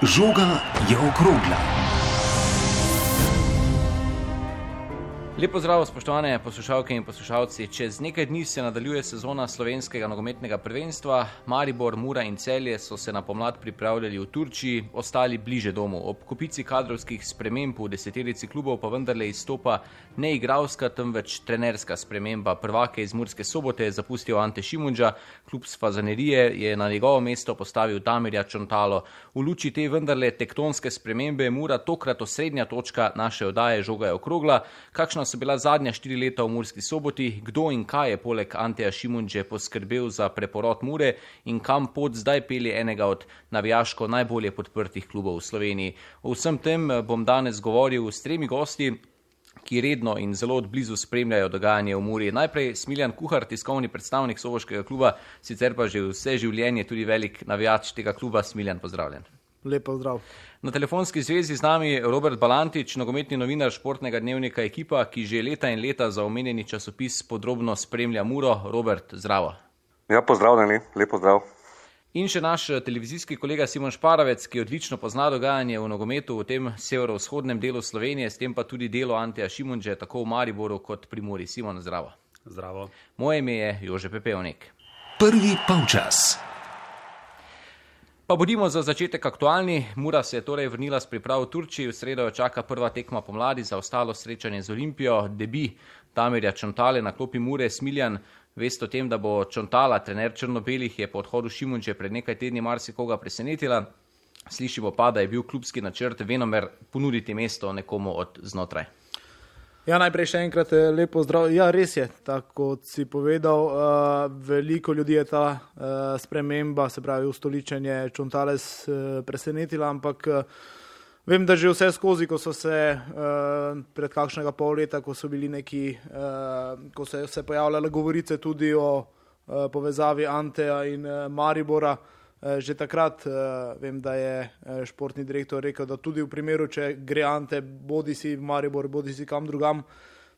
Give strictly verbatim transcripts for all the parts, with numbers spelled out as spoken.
Žoga je okrogla. Lep pozdrav, spoštovane poslušalke in poslušalci. Čez nekaj dni se nadaljuje sezona slovenskega nogometnega prvenstva. Maribor, Mura in Celje so se na pomlad pripravljali v Turčiji, ostali bliže domu. Ob kopici kadrovskih sprememb v deseterici klubov pa vendarle izstopa ne igralska, temveč trenerska sprememba. Prvake iz Murske Sobote je zapustil Ante Šimundža, klub s Fazanerije je na njegovo mesto postavil Damirja Čontalo. V luči te vendarle tektonske spremembe je Mura tokrat osrednja točka naše oddaje Žoga je okrogla. Kakšna so bila zadnja štiri leta v Murski Soboti, kdo in kaj je poleg Anteja Šimundže poskrbel za preporod Mure in kam pot zdaj pelje enega od navijaško najbolje podprtih klubov v Sloveniji. O vsem tem bom danes govoril s tremi gosti, ki redno in zelo odblizu spremljajo dogajanje v Muri. Najprej Smiljan Kuhar, tiskovni predstavnik soboškega kluba, sicer pa že vse življenje tudi velik navijač tega kluba. Smiljan, pozdravljen. Lep pozdrav. Na telefonski zvezi z nami Robert Balantič, nogometni novinar športnega dnevnika Ekipa, ki že leta in leta za omenjeni časopis podrobno spremlja Muro. Robert, zdravo. Ja, pozdravljeni, lep pozdrav. In še naš televizijski kolega Simon Šparavec, ki odlično pozna dogajanje v nogometu v tem severovzhodnem delu Slovenije, s tem pa tudi delo Anteja Šimundže, tako v Mariboru kot pri Muri. Simon, zdravo. Zdravo. Moje ime je Jože Pepevnik. Prvi polčas. Pa bodimo za začetek aktualni. Mura se je torej vrnila s priprav v Turčiji. V sredo jo čaka prva tekma pomladi, za ostalo srečanje z Olimpijo. Debi Damirja Čontale na klopi Mure. Smiljan, veste o tem, da bo Čontala, trener črno-belih, je po odhodu Šimundže pred nekaj tedni marsikoga presenetila. Slišimo pa, da je bil klubski načrt venomer ponuditi mesto nekomu od znotraj. Ja, najprej še enkrat lepo zdrav. Ja, res je, tako kot si povedal, uh, veliko ljudi je ta uh, sprememba, se pravi ustoličenje Čontales uh, presenetila, ampak uh, vem, da že vse skozi, ko so se uh, pred kakšnega pol leta, ko so bili neki, uh, ko so se pojavljale govorice tudi o uh, povezavi Anteja in uh, Maribora, že takrat uh, vem, da je športni direktor rekel, da tudi v primeru, če gre Ante bodi si v Maribor, bodi si kam drugam,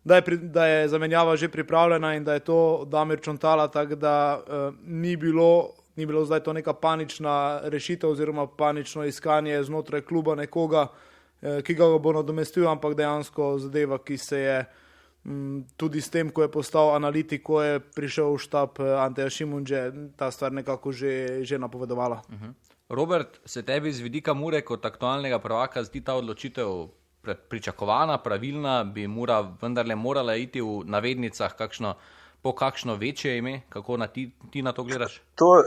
da je, pri, da je zamenjava že pripravljena in da je to Damir Čontala, tako da uh, ni bilo, ni bilo zdaj to neka panična rešitev oziroma panično iskanje znotraj kluba nekoga, uh, ki ga bo nadomestil, ampak dejansko zadeva, ki se je tudi s tem, ko je postal analitik, ko je prišel v štab Anteja Šimundže, ta stvar nekako že, že napovedovala. Uh-huh. Robert, se tebi z vidika Mure kot aktualnega prvaka zdi ta odločitev pričakovana, pravilna? Bi Mura vendarle morala iti v navednicah kakšno, po kakšno večje ime? Kako na ti, ti na to gledaš? To,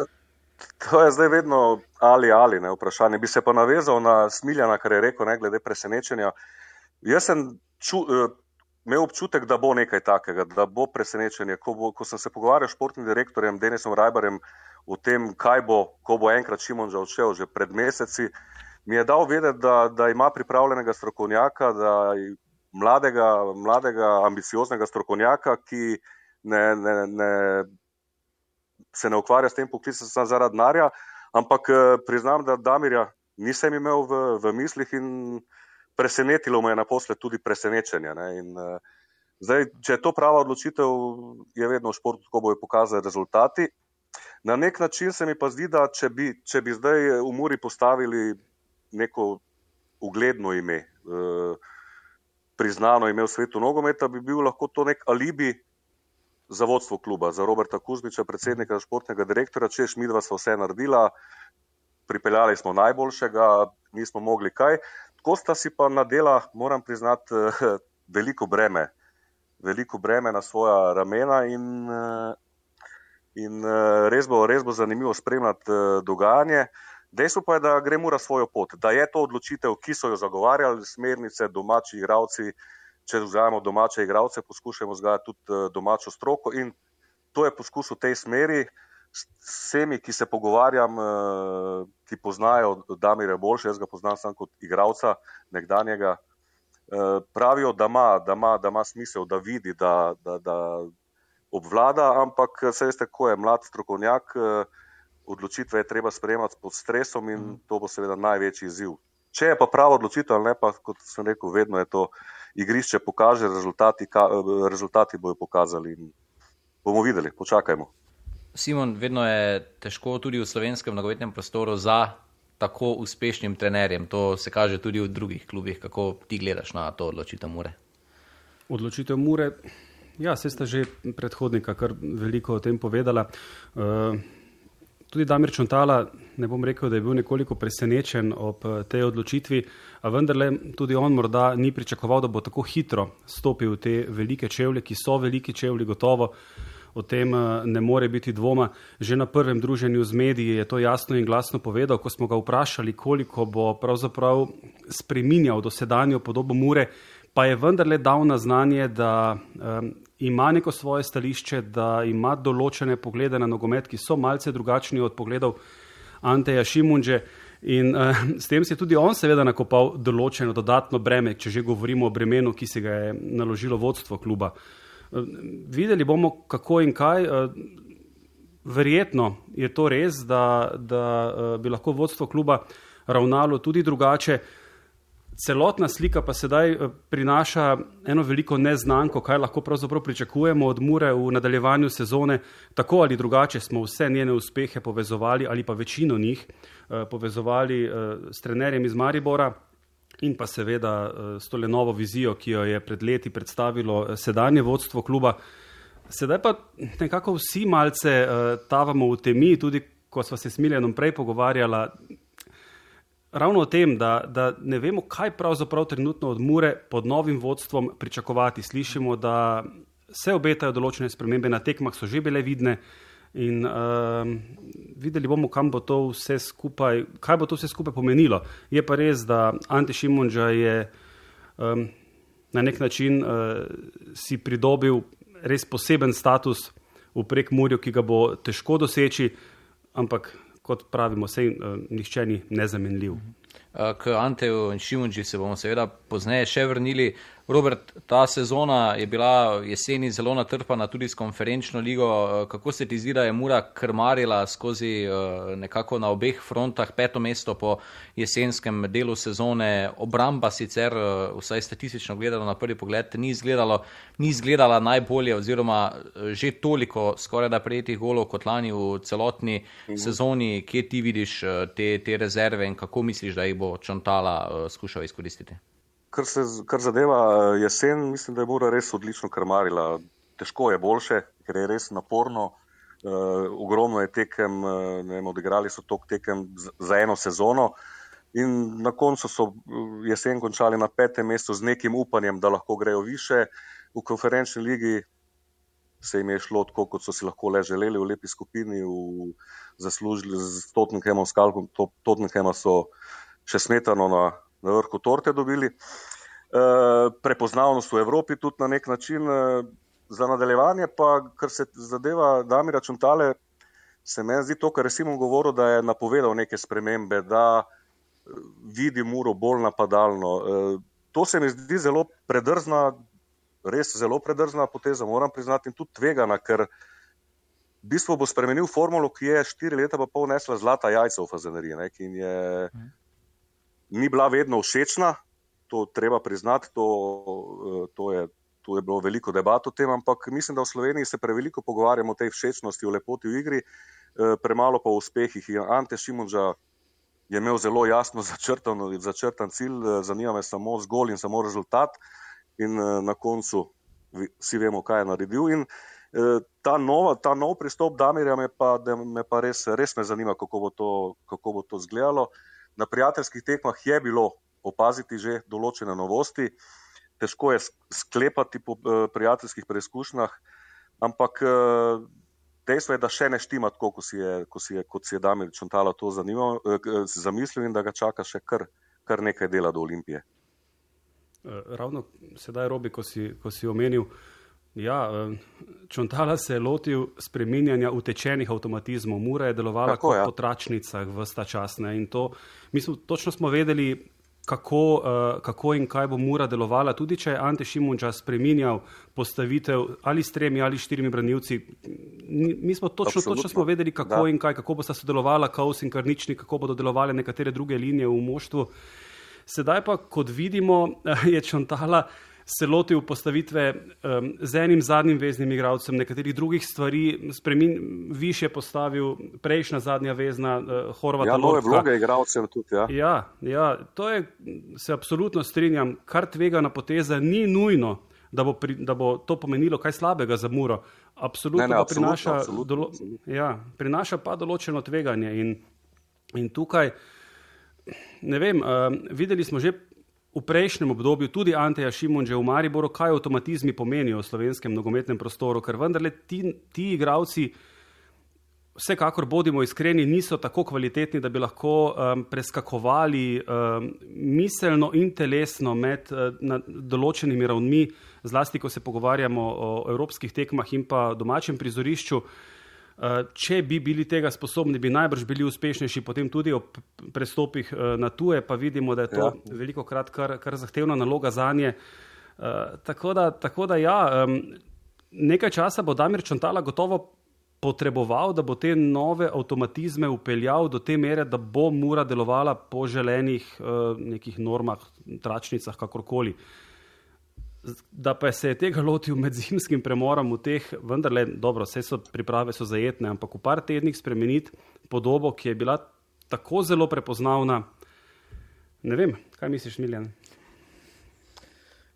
to je zdaj vedno ali ali, ne, vprašanje. Bi se pa navezal na Smiljana, kar je rekel, ne, glede presenečenja. Jaz sem ču, imel občutek, da bo nekaj takega, da bo presenečenje. Ko, bo, ko sem se pogovarjal s športnim direktorjem Denisom Rajbarjem o tem, kaj bo, ko bo enkrat Šimundža odšel že pred meseci, mi je dal vedeti, da, da ima pripravljenega strokovnjaka, da mladega, mladega ambicioznega strokovnjaka, ki ne, ne, ne, se ne ukvarja s tem poklicem samo zaradi denarja, ampak priznam, da Damirja nisem imel v, v mislih in presenetilo me je naposled tudi presenečenje. Ne? In, uh, zdaj, če je to prava odločitev, je vedno v športu, ko bojo pokazali rezultati. Na nek način se mi pa zdi, da če bi, če bi zdaj v Muri postavili neko ugledno ime, uh, priznano ime v svetu nogometa, bi bil lahko to nek alibi za vodstvo kluba, za Roberta Kuzmiča, predsednika športnega direktorja, češ midva sva vse naredila, pripeljali smo najboljšega, nismo mogli kaj. Tako sta si pa nadela, moram priznati, veliko breme, veliko breme na svoja ramena in, in res bo, res bo zanimivo spremljati dogajanje. Dejstvo pa je, da gre Mura svojo pot, da je to odločitev, ki so jo zagovarjali, smernice, domači igralci, če vzajemo domače igralce, poskušamo vzgajati tudi domačo stroko in to je poskus v tej smeri. S vsemi, ki se pogovarjam, ki poznajo Damirja boljše, jaz ga poznam samo kot igralca nekdanjega, pravijo, da ima, da ima, da ima smisel, da vidi, da, da, da obvlada, ampak se veste, ko je mlad strokovnjak, odločitve je treba sprejemati pod stresom in to bo seveda največji izziv. Če je pa prava odločitev ali ne, pa kot sem rekel, vedno je to igrišče pokaže, rezultati, rezultati bojo pokazali in bomo videli, počakajmo. Simon, vedno je težko tudi v slovenskem nogometnem prostoru za tako uspešnim trenerjem. To se kaže tudi v drugih klubih. Kako ti gledaš na to odločitev Mure? Odločitev Mure, ja, se sta že predhodnika kar veliko o tem povedala. Uh, tudi Damir Čontala, ne bom rekel, da je bil nekoliko presenečen ob tej odločitvi, a vendarle tudi on morda ni pričakoval, da bo tako hitro stopil v te velike čevlje, ki so veliki čevlji, gotovo. O tem ne more biti dvoma. Že na prvem druženju z mediji je to jasno in glasno povedal, ko smo ga vprašali, koliko bo pravzaprav spreminjal dosedanjo podobo Mure, pa je vendarle dal na znanje, da um, ima neko svoje stališče, da ima določene poglede na nogomet, ki so malce drugačni od pogledov Anteja Šimundže. In uh, s tem si tudi on seveda nakopal določeno dodatno breme, če že govorimo o bremenu, ki si ga je naložilo vodstvo kluba. Uh, videli bomo, kako in kaj. Uh, verjetno je to res, da, da uh, bi lahko vodstvo kluba ravnalo tudi drugače. Celotna slika pa sedaj prinaša eno veliko neznanko, kaj lahko pravzaprav pričakujemo od Mure v nadaljevanju sezone. Tako ali drugače smo vse njene uspehe povezovali, ali pa večino njih povezovali s trenerjem iz Maribora in pa seveda s tole novo vizijo, ki jo je pred leti predstavilo sedanje vodstvo kluba. Sedaj pa nekako vsi malce tavamo v temi, tudi ko sva se s Miljanom prej pogovarjala, ravno o tem, da, da ne vemo, kaj pravzaprav trenutno od Mure pod novim vodstvom pričakovati. Slišimo, da se obetajo določene spremembe, na tekmah so že bile vidne in uh, videli bomo, kam bo to vse skupaj, kaj bo to vse skupaj pomenilo. Je pa res, da Ante Šimundža je um, na nek način uh, si pridobil res poseben status v Prekmurju, ki ga bo težko doseči, ampak kot pravimo, sej uh, nihče ni nezamenljiv. K Anteju in Šimundži se bomo seveda pozneje še vrnili. Robert, ta sezona je bila jeseni zelo natrpana tudi s konferenčno ligo. Kako se ti zdi, da je Mura krmarila skozi nekako na obeh frontah peto mesto po jesenskem delu sezone? Obramba sicer, vsaj statistično gledano na prvi pogled, ni izgledalo, ni izgledala najbolje oziroma že toliko skoraj da prejetih golov kot lani v celotni mhm. sezoni. Kje ti vidiš te, te rezerve in kako misliš, da jih bo Čontala skušal izkoristiti? Kar, se, kar zadeva jesen, mislim, da je Mura res odlično krmarila. Težko je boljše, ker je res naporno. Uh, ogromno je tekem, uh, ne vem, odigrali so tok tekem z, za eno sezono in na koncu so jesen končali na petem mestu z nekim upanjem, da lahko grejo više. V konferenčni ligi se jim je šlo tako, kot so si lahko le želeli, v lepi skupini, v, zaslužili z Tottenhamom, skalpom Tottenhama so še smetano na na vrhu torte dobili. E, prepoznavnost v Evropi tudi na nek način. E, za nadaljevanje pa, kar se zadeva Damira Čontale, se meni zdi to, kar je Simon govoril, da je napovedal neke spremembe, da vidi Muro bolj napadalno. E, to se mi zdi zelo predrzna, res zelo predrzna poteza, moram priznati, in tudi tvegana, ker v bistvu bo spremenil formulo, ki je štiri leta pa pol nesla zlata jajca v Fazaneriji, ne, in je ni bila vedno všečna, to treba priznati, to, to, je, to je bilo veliko debat o tem, ampak mislim, da v Sloveniji se preveliko pogovarjamo o tej všečnosti, o lepoti v igri, premalo pa o uspehih. In Ante Šimundža je imel zelo jasno začrtan, začrtan cilj, zanima me samo zgolj in samo rezultat in na koncu vsi vemo, kaj je naredil. In ta, nova, ta nov pristop Damirja me pa, me pa res, res me zanima, kako bo to, kako bo to izgledalo. Na prijateljskih tekmah je bilo opaziti že določene novosti, težko je sklepati po prijateljskih preizkušnjah, ampak dejstvo je, da še ne štima tako, kot si je, kot si je, kot si je Damir Čontala to zanimal, zamislil in da ga čaka še kar, kar nekaj dela do Olimpije. Ravno sedaj, Robi, ko si, ko si omenil, ja, Čontala se je lotil spreminjanja utečenih avtomatizmov. Mura je delovala Tako, kot ja. po tračnicah ves ta čas. Ne? In to, mi smo, točno smo vedeli, kako, uh, kako in kaj bo Mura delovala. Tudi če je Ante Šimundža spreminjal postavitev ali s tremi ali štirimi branilci, mi smo točno, točno smo vedeli, kako da. in kaj, kako bo sta sodelovala Kaus in Karničnik, kako bodo delovale nekatere druge linije v moštvu. Sedaj pa, kot vidimo, je Čontala se lotil postavitve um, z enim zadnjim veznim igralcem, nekaterih drugih stvari, spremin, više postavil prejšnja zadnja vezna uh, Horvata. Ja, nove Lotka. vloge igralcem tudi, ja. Ja, ja, to je, se absolutno strinjam, kar tvegana poteza ni nujno, da bo, pri, da bo to pomenilo kaj slabega za Muro. Absolutno, ne, ne, absolutno, prinaša, absolutno, dolo, absolutno. Ja, prinaša pa določeno tveganje in, in tukaj, ne vem, uh, videli smo že v prejšnjem obdobju tudi Anteja Šimunže v Mariboru, kaj avtomatizmi pomenijo v slovenskem nogometnem prostoru, ker vendarle ti, ti igravci, vsekakor bodimo iskreni, niso tako kvalitetni, da bi lahko um, preskakovali um, miselno in telesno med uh, na določenimi ravnmi, zlasti, ko se pogovarjamo o evropskih tekmah in pa domačem prizorišču. Uh, če bi bili tega sposobni, bi najbrž bili uspešnejši potem tudi ob prestopih uh, na tuje, pa vidimo, da je to ja. veliko krat kar, kar zahtevna naloga zanje. Uh, tako, da, tako da ja, um, nekaj časa bo Damir Čontala gotovo potreboval, da bo te nove avtomatizme upeljal do te mere, da bo Mura delovala po želenih uh, nekih normah, tračnicah, kakorkoli. Da pa se je tega lotil med zimskim premorom v teh, vendarle, dobro, vse so priprave so zajetne, ampak v par tednih spremeniti podobo, ki je bila tako zelo prepoznavna. Ne vem, kaj misliš, Miljan?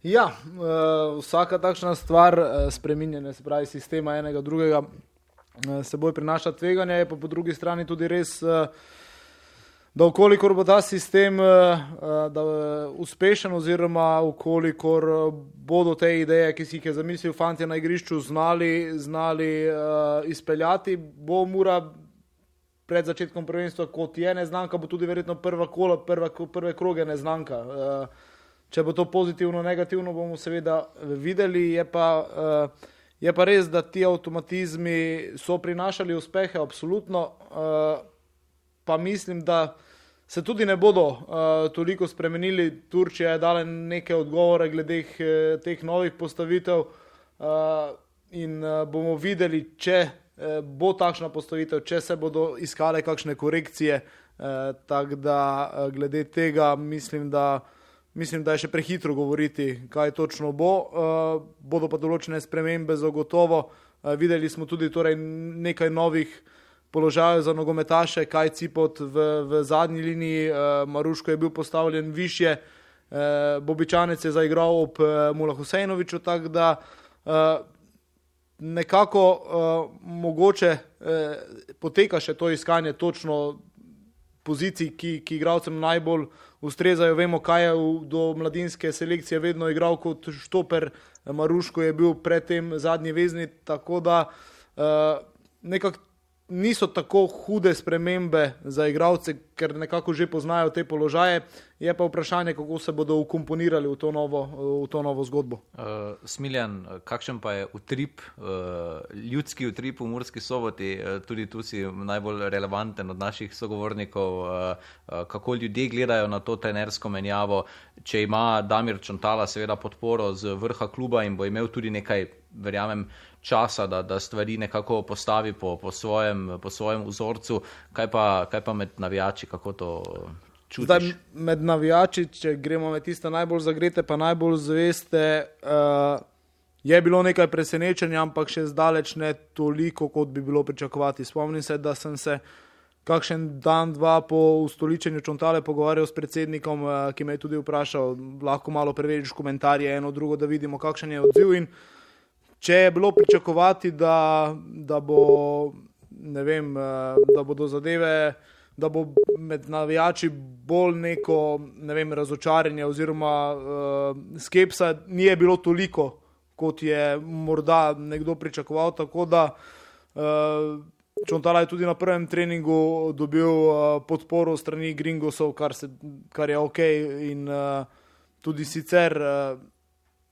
Ja, uh, vsaka takšna stvar, uh, spreminjanje, se pravi sistema enega drugega, uh, seboj prinaša tveganje, je pa po drugi strani tudi res, uh, da ukolikor bo ta sistem uh, da, uh, uspešen oziroma ukolikor bodo te ideje, ki si jih je zamislil fantje na igrišču, znali, znali uh, izpeljati, bo Mura pred začetkom prvenstva, kot je neznanka, bo tudi verjetno prva kola, prva, prve kroge neznanka. Uh, če bo to pozitivno, negativno, bomo seveda videli, je pa, uh, je pa res, da ti avtomatizmi so prinašali uspehe, absolutno, uh, pa mislim, da se tudi ne bodo uh, toliko spremenili. Turčija je dala neke odgovore glede teh novih postavitev uh, in uh, bomo videli, če uh, bo takšna postavitev, če se bodo iskale kakšne korekcije. Uh, tako da uh, glede tega mislim, da Mislim, da je še prehitro govoriti, kaj točno bo. Uh, bodo pa določene spremembe zagotovo. Uh, videli smo tudi torej nekaj novih položajev za nogometaše, kaj Cipot v, v zadnji liniji, uh, Maruško je bil postavljen višje, uh, Bobičanec je zaigral ob uh, Mula Husejnoviču, tako da uh, nekako uh, mogoče uh, poteka še to iskanje točno pozicij, ki, ki igralcem najbolj ustrezajo. Vemo, kaj je v, do mladinske selekcije vedno igral kot štoper, Maruško je bil predtem zadnji vezni, tako da uh, nekako niso tako hude spremembe za igralce, ker nekako že poznajo te položaje. Je pa vprašanje, kako se bodo ukomponirali v to novo, v to novo zgodbo. Uh, Smiljan, kakšen pa je utrip, uh, ljudski utrip v Murski Soboti? Uh, tudi tu si najbolj relevanten od naših sogovornikov. Uh, uh, kako ljudje gledajo na to trenersko menjavo, če ima Damir Čontala seveda podporo z vrha kluba in bo imel tudi nekaj, verjamem, časa, da, da stvari nekako postavi po, po, svojem, po svojem vzorcu. Kaj pa, kaj pa med navijači, kako to čutiš? Zdaj, med navijači, če gremo med tiste najbolj zagrete, pa najbolj zveste, uh, je bilo nekaj presenečenja, ampak še zdaleč ne toliko, kot bi bilo pričakovati. Spomnim se, da sem se kakšen dan, dva po ustoličenju Čontale pogovarjal s predsednikom, uh, ki me je tudi vprašal, lahko malo preveriš komentarje eno drugo, da vidimo, kakšen je odziv. In če je bilo pričakovati, da, da bo, ne vem, da bodo zadeve, da bo med navijači bolj neko, ne vem, razočaranje oziroma uh, skepsa, ni je bilo toliko, kot je morda nekdo pričakoval, tako da uh, Čontala je tudi na prvem treningu dobil uh, podporo strani Gringosov, kar, se, kar je ok in uh, tudi sicer uh,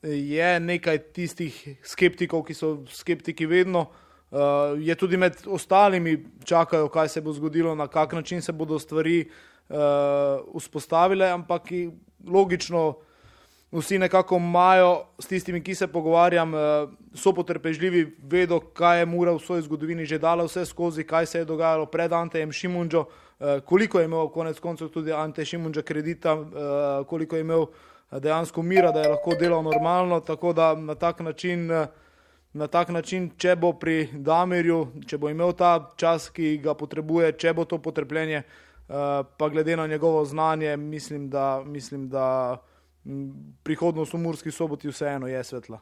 je nekaj tistih skeptikov, ki so skeptiki vedno, uh, je tudi med ostalimi čakajo, kaj se bo zgodilo, na kak način se bodo stvari uh, vzpostavile, ampak logično vsi nekako imajo, s tistimi, ki se pogovarjam, so potrpežljivi, vedo, kaj je Mura v svoji zgodovini že dala vse skozi, kaj se je dogajalo pred Antejem Šimundžo, koliko je imel konec koncev tudi Ante Šimundža kredita, koliko je imel dejansko mira, da je lahko delal normalno, tako da na tak način, na tak način, če bo pri Damirju, če bo imel ta čas, ki ga potrebuje, če bo to potrpljenje, pa glede na njegovo znanje, mislim, da, mislim, da prihodnost v Murski Soboti vseeno je svetla.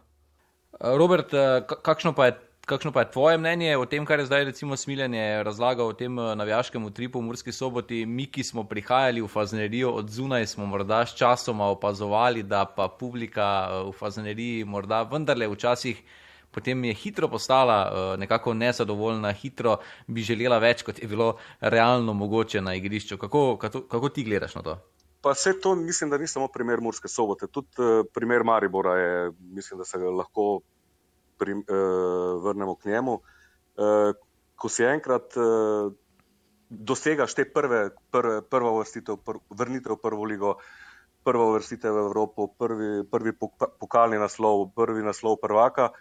Robert, kakšno pa je, kakšno pa je tvoje mnenje o tem, kar je zdaj recimo Smiljan je razlagal o tem navijaškem utripu v Murski Soboti? Mi, ki smo prihajali v Fazaneriju od zunaj, smo morda s časoma opazovali, da pa publika v Fazaneriji morda vendarle včasih potem je hitro postala nekako nezadovoljna, hitro bi želela več, kot je bilo realno mogoče na igrišču. Kako, kako, kako ti gledaš na to? Pa vse to mislim, da ni samo primer Murske Sobote, tudi uh, primer Maribora je, mislim, da se ga lahko pri, uh, vrnemo k njemu. Uh, ko si enkrat uh, dosegaš te prve, prve, prva uvrstitev, pr, vrnitev v prvo ligo, prva uvrstitev v Evropo, prvi, prvi pokalni naslov, prvi naslov prvaka,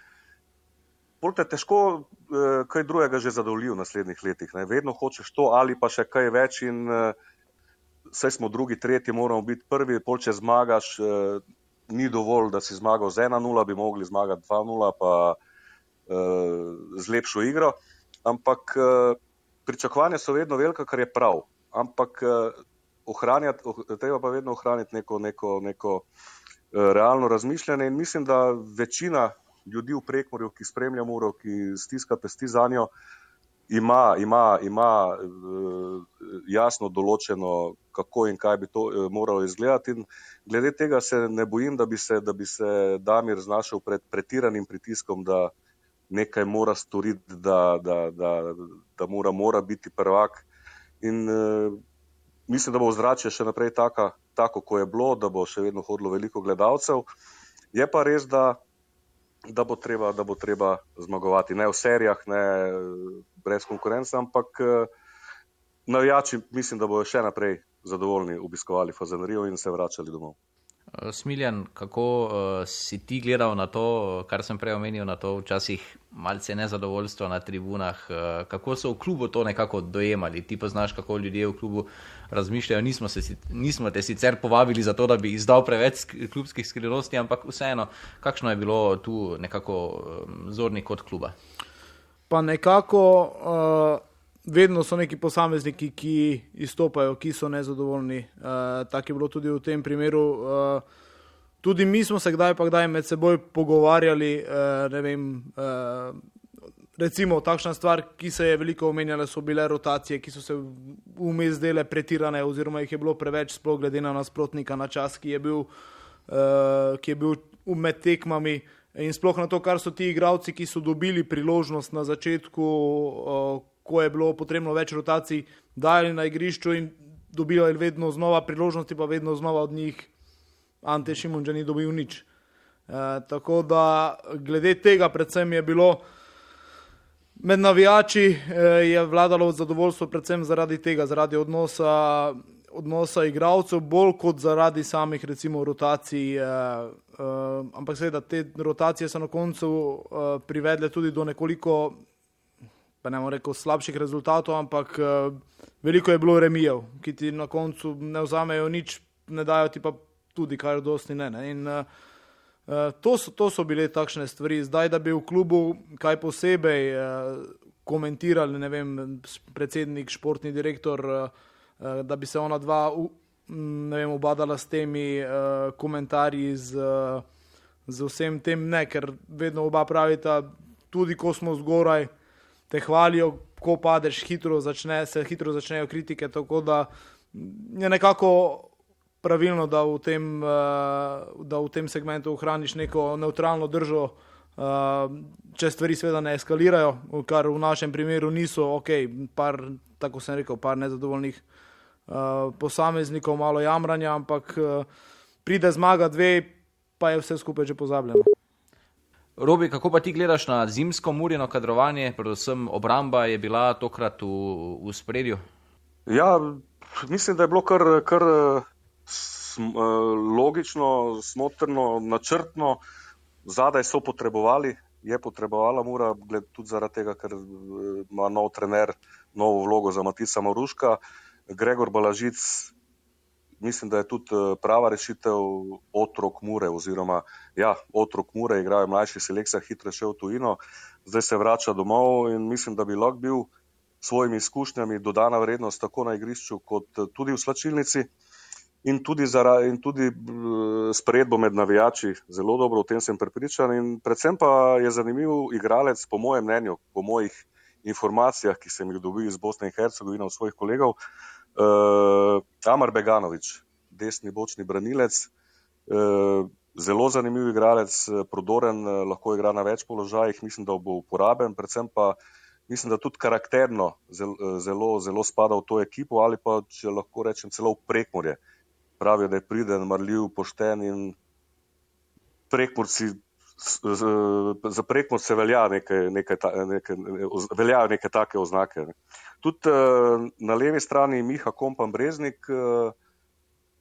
bolj te težko uh, kaj drugega že zadovolji v naslednjih letih. Ne? Vedno hočeš to ali pa še kaj več in uh, vse smo drugi, tretji, moramo biti prvi, pol če zmagaš, eh, ni dovolj, da si zmagal z ena nula, bi mogli zmagati dva nula, pa eh, z lepšo igro, ampak eh, pričakovanja so vedno velika, kar je prav, ampak eh, ohranjati, oh, treba pa vedno ohraniti neko, neko, neko eh, realno razmišljanje in mislim, da večina ljudi v Prekmurju, ki spremlja Muro, ki stiska pesti za njo, ima, ima, ima eh, jasno določeno, kako in kaj bi to eh, moralo izgledati. In glede tega se ne bojim, da bi se, da bi se Damir znašel pred pretiranim pritiskom, da nekaj mora storiti, da, da, da, da mora, mora biti prvak. In eh, mislim, da bo ozračje še naprej taka, tako, ko je bilo, da bo še vedno hodilo veliko gledalcev. Je pa res, da Da bo, treba, da bo treba zmagovati. Ne v serijah, ne brez konkurence, ampak navijači mislim, da bojo še naprej zadovoljni obiskovali Fazanerijo in se vračali domov. Smiljan, kako uh, si ti gledal na to, kar sem prej omenil, na to včasih malce nezadovoljstva na tribunah, uh, kako so v klubu to nekako dojemali? Ti poznaš, kako ljudje v klubu razmišljajo, nismo, se, nismo te sicer povabili za to, da bi izdal preveč klubskih skrivnosti, ampak vseeno, kakšno je bilo tu nekako um, zorni kot kluba? Pa nekako... Uh... Vedno so neki posamezniki, ki izstopajo, ki so nezadovoljni. Uh, tako je bilo tudi v tem primeru. Uh, tudi mi smo se kdaj pa kdaj med seboj pogovarjali, uh, ne vem, uh, recimo takšna stvar, ki se je veliko omenjala, so bile rotacije, ki so se vmes dele pretirane oziroma jih je bilo preveč, sploh glede na nasprotnika na čas, ki je bil, uh, ki je bil med tekmami in sploh na to, kar so ti igralci, ki so dobili priložnost na začetku, uh, ko je bilo potrebno več rotacij, dajali na igrišču in dobili vedno znova priložnosti, pa vedno znova od njih Ante Šimundža ni dobil nič. E, tako da glede tega predvsem je bilo med navijači e, je vladalo zadovoljstvo predvsem zaradi tega, zaradi odnosa, odnosa igralcev, bolj kot zaradi samih recimo rotacij. E, e, ampak seveda te rotacije so na koncu e, privedle tudi do nekoliko pa ne bom rekel slabših rezultatov, ampak uh, veliko je bilo remijev, ki ti na koncu ne vzamejo nič, ne dajo ti pa tudi kar dosti ne. ne. In uh, uh, to, so, to so bile takšne stvari. Zdaj, da bi v klubu kaj posebej uh, komentirali, ne vem, predsednik, športni direktor, uh, uh, da bi se ona dva uh, ne vem, obadala s temi uh, komentarji, z, uh, z vsem tem, ne, ker vedno oba pravita, tudi ko smo zgoraj, te hvalijo, ko padeš, hitro začne, se hitro začnejo kritike, tako da je nekako pravilno, da v tem, da v tem segmentu ohraniš neko neutralno držo, če stvari seveda ne eskalirajo, kar v našem primeru niso, ok, par, tako sem rekel, par nezadovoljnih posameznikov, malo jamranja, ampak pride zmaga dve, pa je vse skupaj že pozabljeno. Robi, kako pa ti gledaš na zimsko Murino kadrovanje, predvsem obramba je bila tokrat v, v spredju? Ja, mislim, da je bilo kar, kar sm, logično, smotrno, načrtno, zadaj so potrebovali, je potrebovala Mura, gled tudi zaradi tega, ker ima nov trener, novo vlogo za Matica Maruška. Gregor Balažic, mislim, da je tudi prava rešitev otrok Mure, oziroma ja, otrok Mure, igrajo mlajši selekcija, hitro šel v tujino, zdaj se vrača domov in mislim, da bi lahko bil svojimi izkušnjami dodana vrednost tako na igrišču kot tudi v slačilnici in tudi, zara, in tudi sprejedbo med navijači zelo dobro, o tem sem prepričan in predvsem pa je zanimiv igralec po mojem mnenju, po mojih informacijah, ki sem jih dobil iz Bosne in Hercegovine od svojih kolegov, uh, Amar Beganović, desni bočni branilec, uh, zelo zanimiv igralec, prodoren, uh, lahko igra na več položajih, mislim, da bo uporaben, predvsem pa mislim, da tudi karakterno zelo, zelo, zelo spada v to ekipo ali pa, če lahko rečem, celo v Prekmurje. Pravijo, da je priden, marljiv, pošten in Prekmurci, za Prekmurce velja nekaj, nekaj, nekaj, veljajo neke take oznake. Tudi na levi strani Miha Kompan Breznik,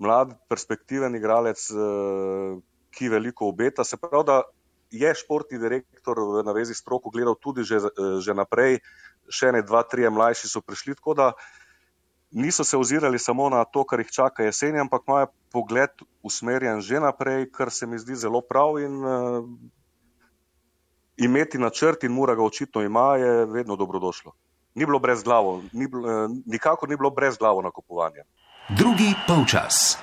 mlad, perspektiven igralec, ki veliko obeta, se pravi, da je športni direktor v navezi s stroko gledal tudi že, že naprej, še ne dva, trije mlajši so prišli, tako da niso se ozirali samo na to, kar jih čaka jeseni, ampak imajo pogled usmerjen že naprej, kar se mi zdi zelo prav in uh, imeti načrt in Mura ga očitno ima, je vedno dobrodošlo. Ni bilo brez glavo, ni, uh, nikakor ni bilo brez glavo nakupovanja. Drugi polčas.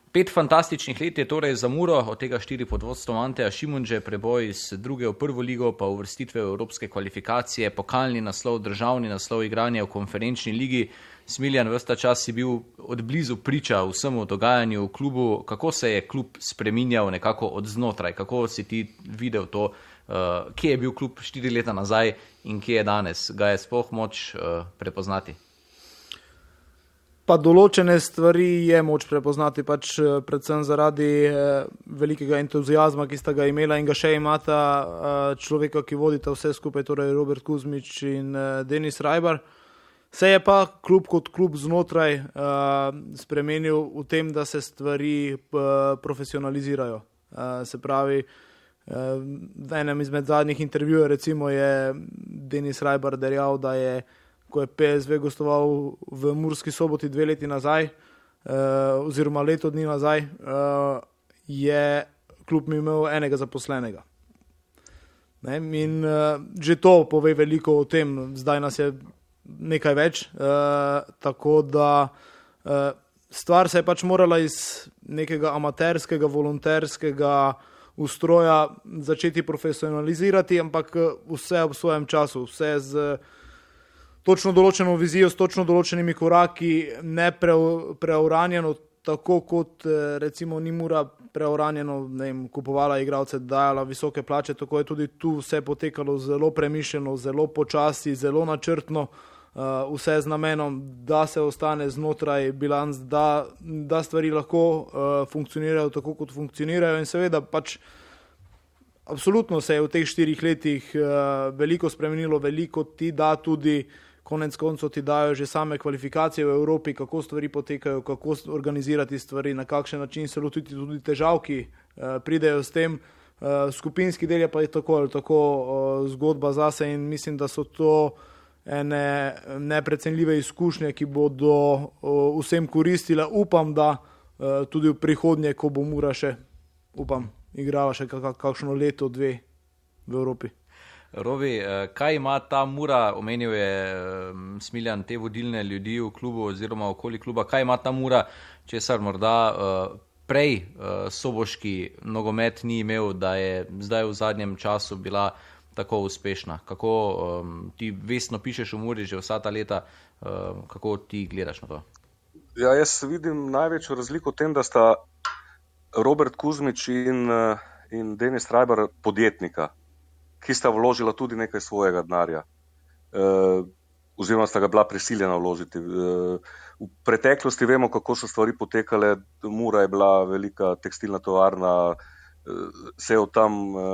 Pet fantastičnih let je torej za Muro, od tega štiri pod vodstvom Anteja Šimundže, preboj iz druge v prvo ligo, pa uvrstitve v evropske kvalifikacije, pokalni naslov, državni naslov, igranje v konferenčni ligi. Smiljan, ves ta čas si bil od blizu priča vsemu dogajanju v klubu. Kako se je klub spreminjal nekako od znotraj? Kako si ti videl to, uh, kje je bil klub štiri leta nazaj in kje je danes? Ga je sploh moč uh, prepoznati? Pa določene stvari je moč prepoznati, pač predvsem zaradi eh, velikega entuzijazma, ki sta ga imela in ga še imata eh, človeka, ki vodita vse skupaj, torej Robert Kuzmič in eh, Denis Rajbar. Se je pa klub kot klub znotraj eh, spremenil v tem, da se stvari eh, profesionalizirajo. Eh, se pravi, eh, v enem izmed zadnjih intervjujev recimo je Denis Rajbar dejal, da je ko je P S V gostoval v Murski Soboti dve leti nazaj, eh, oziroma leto dni nazaj, eh, je klub imel enega zaposlenega. Ne? In eh, že to pove veliko o tem, zdaj nas je nekaj več, eh, tako da eh, stvar se je pač morala iz nekega amaterskega, volonterskega ustroja začeti profesionalizirati, ampak vse ob svojem času, vse z točno določeno vizijo, s točno določenimi koraki, ne pre, preuranjeno, tako kot recimo ni Mura preuranjeno, ne vem, kupovala igralce, dajala visoke plače, tako je tudi tu vse potekalo zelo premišljeno, zelo počasi, zelo načrtno, uh, vse z namenom, da se ostane znotraj bilanc, da, da stvari lahko uh, funkcionirajo tako, kot funkcionirajo in seveda pač absolutno se je v teh štirih letih uh, veliko spremenilo, veliko ti da tudi konec koncev ti dajo že same kvalifikacije v Evropi, kako stvari potekajo, kako organizirati stvari, na kakšen način se lotiti tudi težav, ki uh, pridejo s tem. Uh, skupinski del je pa je tako ali tako uh, zgodba zase in mislim, da so to ene neprecenljive izkušnje, ki bodo uh, vsem koristile. Upam, da uh, tudi v prihodnje, ko bo Mura še, upam, igrala še kak- kakšno leto, dve v Evropi. Robi, kaj ima ta Mura, omenil je Smiljan te vodilne ljudi v klubu oziroma okoli kluba, kaj ima ta Mura, česar morda prej soboški nogomet ni imel, da je zdaj v zadnjem času bila tako uspešna? Kako ti vestno pišeš v Muri že vsa ta leta, kako ti gledaš na to? Ja, jaz vidim največjo razliko v tem, da sta Robert Kuzmič in, in Denis Rajbar podjetnika, ki sta vložila tudi nekaj svojega denarja, e, oziroma sta ga bila prisiljena vložiti. E, v preteklosti vemo, kako so stvari potekale. Mura je bila velika tekstilna tovarna, e, se je od tam e,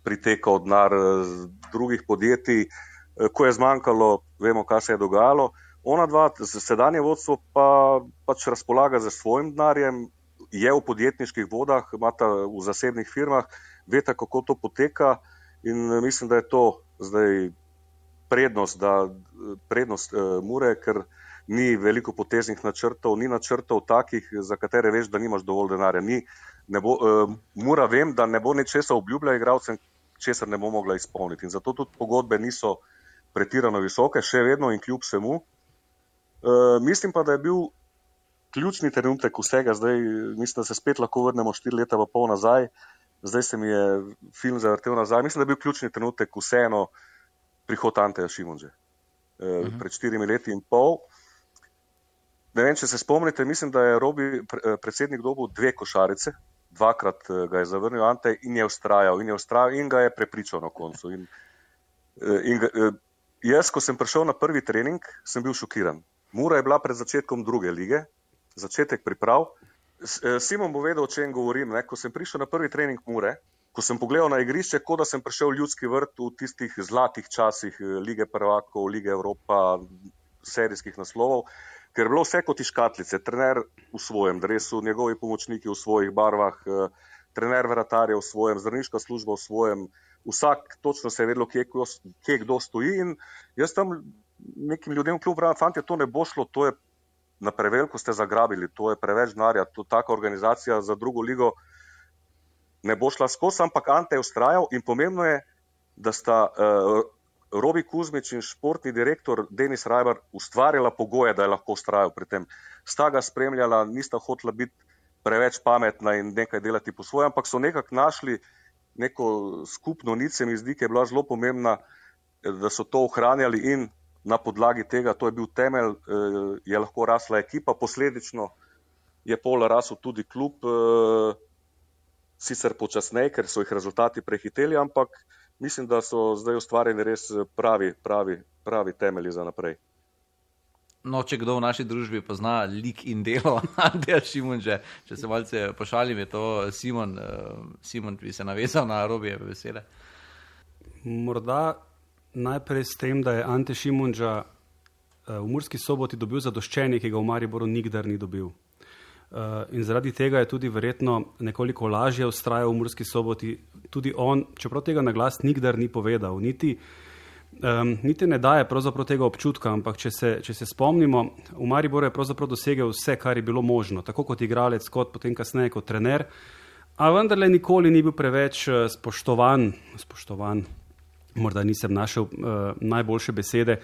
pritekal denar z drugih podjetij. E, ko je zmanjkalo, vemo, kaj se je dogajalo. ona dva, sedanje vodstvo pa pač razpolaga za svojim denarjem, je v podjetniških vodah, imata v zasebnih firmah, veta, kako to poteka in mislim, da je to zdaj prednost, da, prednost uh, Mure, ker ni veliko poteznih načrtov, ni načrtov takih, za katere veš, da nimaš dovolj denarja. Ni, ne bo, uh, Mura vem, da ne bo nečesa obljubila igralcem, česar ne bo mogla izpolniti. In zato tudi pogodbe niso pretirano visoke, še vedno in kljub vsemu. Uh, mislim pa, da je bil ključni trenutek vsega, zdaj mislim, da se spet lahko vrnemo štiri leta pa pol nazaj, zdaj se mi je film zavrtel nazaj, mislim, da je bil ključni trenutek vseeno prihod Anteja Šimunže. Uh, uh-huh. Pred štirimi leti in pol. Ne vem, če se spomnite, mislim, da je Robi predsednik dobil dve košarice, dvakrat ga je zavrnil Ante in je ustrajal in je ustrajal in ga je prepričal na koncu. In, in ga, jaz, ko sem prišel na prvi trening, sem bil šokiran. Mura je bila pred začetkom druge lige, začetek priprav. Simon bo vedel, o čem govorim. Ne? Ko sem prišel na prvi trening Mure, ko sem pogledal na igrišče, kot da sem prišel v Ljudski vrt v tistih zlatih časih Lige prvakov, Lige Evropa, serijskih naslovov, ker je bilo vse kot iz škatlice. Trener v svojem dresu, njegovi pomočniki v svojih barvah, trener vratarja v svojem, zdravniška služba v svojem, vsak točno se je vedelo, kje, kje kdo stoji in jaz tam nekim ljudem v klubu pravim, fantje, to ne bo šlo, to je na preveliko ste zagrabili, to je preveč denarja, to taka organizacija za drugo ligo ne bo šla skozi, ampak Ante je ustrajal in pomembno je, da sta uh, Robi Kuzmič in športni direktor Denis Rajbar ustvarjala pogoje, da je lahko ustrajal pri tem. Sta ga spremljala, nista hotela biti preveč pametna in nekaj delati po svojem, ampak so nekako našli neko skupno nit, se mi zdi, ki je bila zelo pomembna, da so to ohranjali in na podlagi tega, to je bil temelj, je lahko rasla ekipa, posledično je pol rasel tudi klub, sicer počasneje, ker so jih rezultati prehiteli, ampak mislim, da so zdaj ustvarjeni res pravi, pravi, pravi temelji za naprej. No, če kdo v naši družbi pozna lik in delo Anteja Šimunže, če se malce pošalim, je to Simon. Simon bi se navezal na Robijeve besede. Morda najprej s tem, da je Ante Šimunža v Murski Soboti dobil zadoščenje, ki ga v Mariboru nikdar ni dobil. In zaradi tega je tudi verjetno nekoliko lažje vztrajal v Murski Soboti. Tudi on, čeprav tega na glas nikdar ni povedal, niti Um, niti ne daje pravzaprav tega občutka, ampak če se, če se spomnimo, v Mariboru je pravzaprav dosegel vse, kar je bilo možno, tako kot igralec, kot potem kasneje kot trener, a vendarle nikoli ni bil preveč spoštovan, spoštovan, morda nisem našel uh, najboljše besede.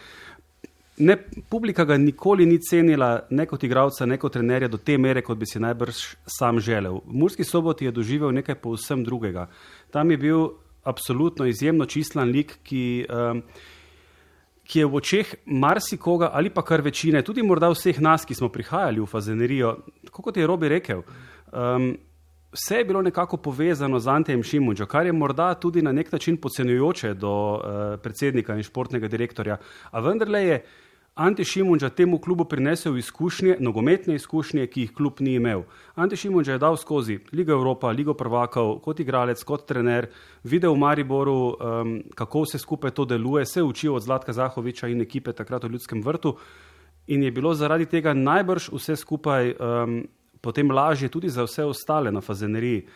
Ne, publika ga nikoli ni cenila, ne kot igralca, ne kot trenerja, do te mere, kot bi si najbrž sam želel. V Murski Soboti je doživel nekaj povsem drugega. Tam je bil absolutno izjemno čistlan lik, ki, um, ki je v očeh marsikoga ali pa kar večine, tudi morda vseh nas, ki smo prihajali v Fazenerijo, tako kot je Robi rekel, um, vse je bilo nekako povezano z Antejem Šimunžo, kar je morda tudi na nek način podcenjujoče do uh, predsednika in športnega direktorja, a vendarle je Ante Šimunža temu klubu prinesel izkušnje, nogometne izkušnje, ki jih klub ni imel. Ante Šimunža je dal skozi Ligo Evropa, Ligo prvakov, kot igralec, kot trener, videl v Mariboru, um, kako vse skupaj to deluje, se učil od Zlatka Zahoviča in ekipe takrat v Ljudskem vrtu in je bilo zaradi tega najbrž vse skupaj um, potem lažje tudi za vse ostale na Fazeneriji.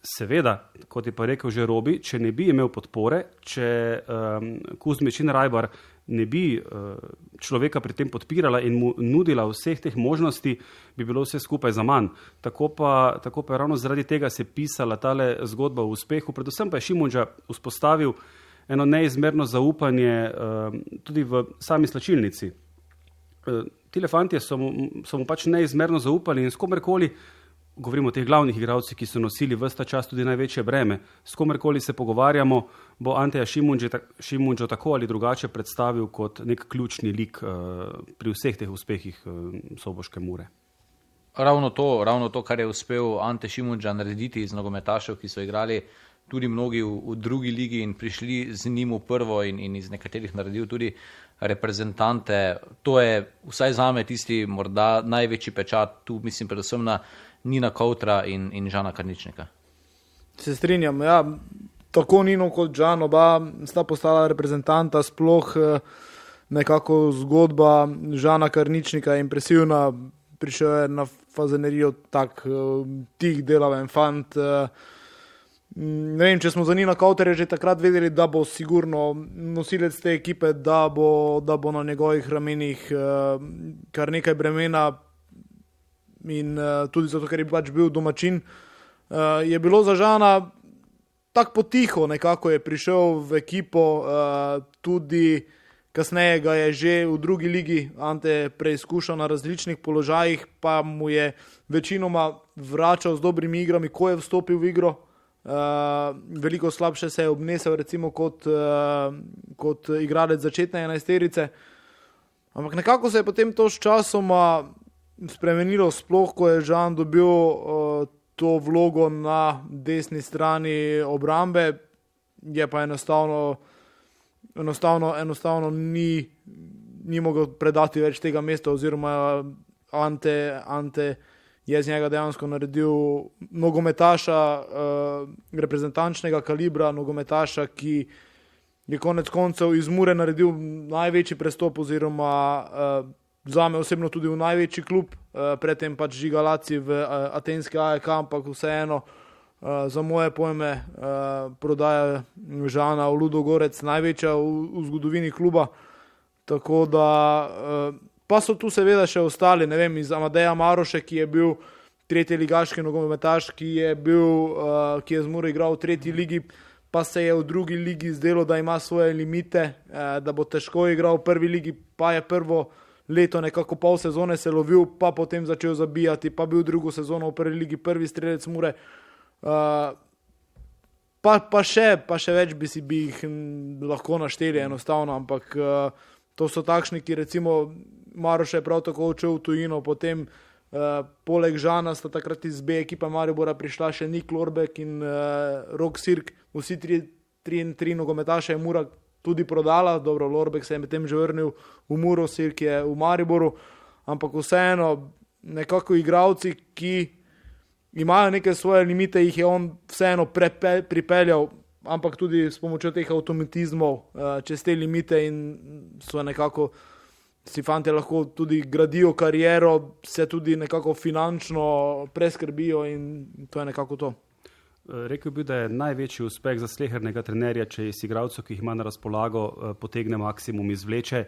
Seveda, kot je pa rekel že Robi, če ne bi imel podpore, če um, Kuzmič in Rajbar ne bi uh, človeka pri tem podpirala in mu nudila vseh teh možnosti, bi bilo vse skupaj za manj. Tako pa, tako pa je ravno zaradi tega se pisala tale zgodba o uspehu. Predvsem pa je Šimunža vzpostavil eno neizmerno zaupanje uh, tudi v sami slačilnici. Uh, tile fantje so mu, so mu pač neizmerno zaupali in s komerkoli, govorimo o teh glavnih igralcih, ki so nosili ves ta čas tudi največje breme. S komerkoli se pogovarjamo, bo Anteja Šimunžo tako ali drugače predstavil kot nek ključni lik uh, pri vseh teh uspehih uh, soboške Mure. Ravno to, ravno to, kar je uspel Ante Šimunža narediti iz nogometašev, ki so igrali tudi mnogi v, v drugi ligi in prišli z njim v prvo in, in iz nekaterih naredil tudi reprezentante. To je vsaj zame tisti morda največji pečat, tu mislim predvsem na Nina Koutra in, in Žana Karničnika. Se strinjam, ja, tako Nino kot Žan, oba sta postala reprezentanta, sploh nekako zgodba Žana Karničnika je impresivna, prišel je na Fazenerijo tak tih delaven fant. Ne vem, če smo za Nina Kauterja že takrat vedeli, da bo sigurno nosilec te ekipe, da bo, da bo na njegovih ramenih kar nekaj bremena in tudi zato, ker je pač bil domačin. Je bilo za Žana tak potiho, nekako je prišel v ekipo, tudi kasneje ga je že v drugi ligi Ante preizkušal na različnih položajih, pa mu je večinoma vračal z dobrimi igrami, ko je vstopil v igro. Uh, veliko slabše se je obnesel recimo kot, uh, kot igralec začetne enajsterice. Ampak nekako se je potem to s časoma spremenilo, sploh ko je Žan dobil uh, to vlogo na desni strani obrambe, je pa enostavno enostavno, enostavno ni, ni mogel predati več tega mesta, oziroma Ante, Ante je z njega dejansko naredil nogometaša, uh, reprezentančnega kalibra, nogometaša, ki je konec koncev iz Mure naredil največji prestop, oziroma uh, zame osebno tudi v največji klub, uh, predtem pač Žigalaci v uh, atenski A E K, ampak vseeno Uh, za moje pojme uh, prodaja Žana v Ludogorec največja v, v zgodovini kluba, tako da uh, pa so tu seveda še ostali, ne vem, iz Amadeja Maroše, ki je bil tretji ligaški nogometaš, ki je bil, uh, ki je z Muro igral v tretji ligi, pa se je v drugi ligi zdelo, da ima svoje limite, uh, da bo težko igral v prvi ligi, pa je prvo leto nekako pol sezone se lovil, pa potem začel zabijati, pa bil drugo sezono v prvi ligi prvi strelec Mure. Uh, pa, pa, še, pa še več bi si bi jih lahko našteli enostavno, ampak uh, to so takšni, ki recimo Maroš je prav tako odšel v tujino, potem uh, poleg Žana sta takrat iz B ekipa Maribora prišla še Nik Lorbek in uh, Rok Sirk, vsi tri, tri, tri nogometaše je Mura tudi prodala, dobro, Lorbek se je medtem že vrnil v Muro, Sirk je v Mariboru, ampak vseeno nekako igralci, ki imajo neke svoje limite, jih je on vseeno prepe, pripeljal, ampak tudi s pomočjo teh avtomatizmov uh, čez te limite in so nekako, si fantje lahko tudi gradijo kariero, se tudi nekako finančno preskrbijo in to je nekako to. Rekel bi, da je največji uspeh za slehernega trenerja, če iz igralcev, ki jih ima na razpolago, potegne maksimum, izvleče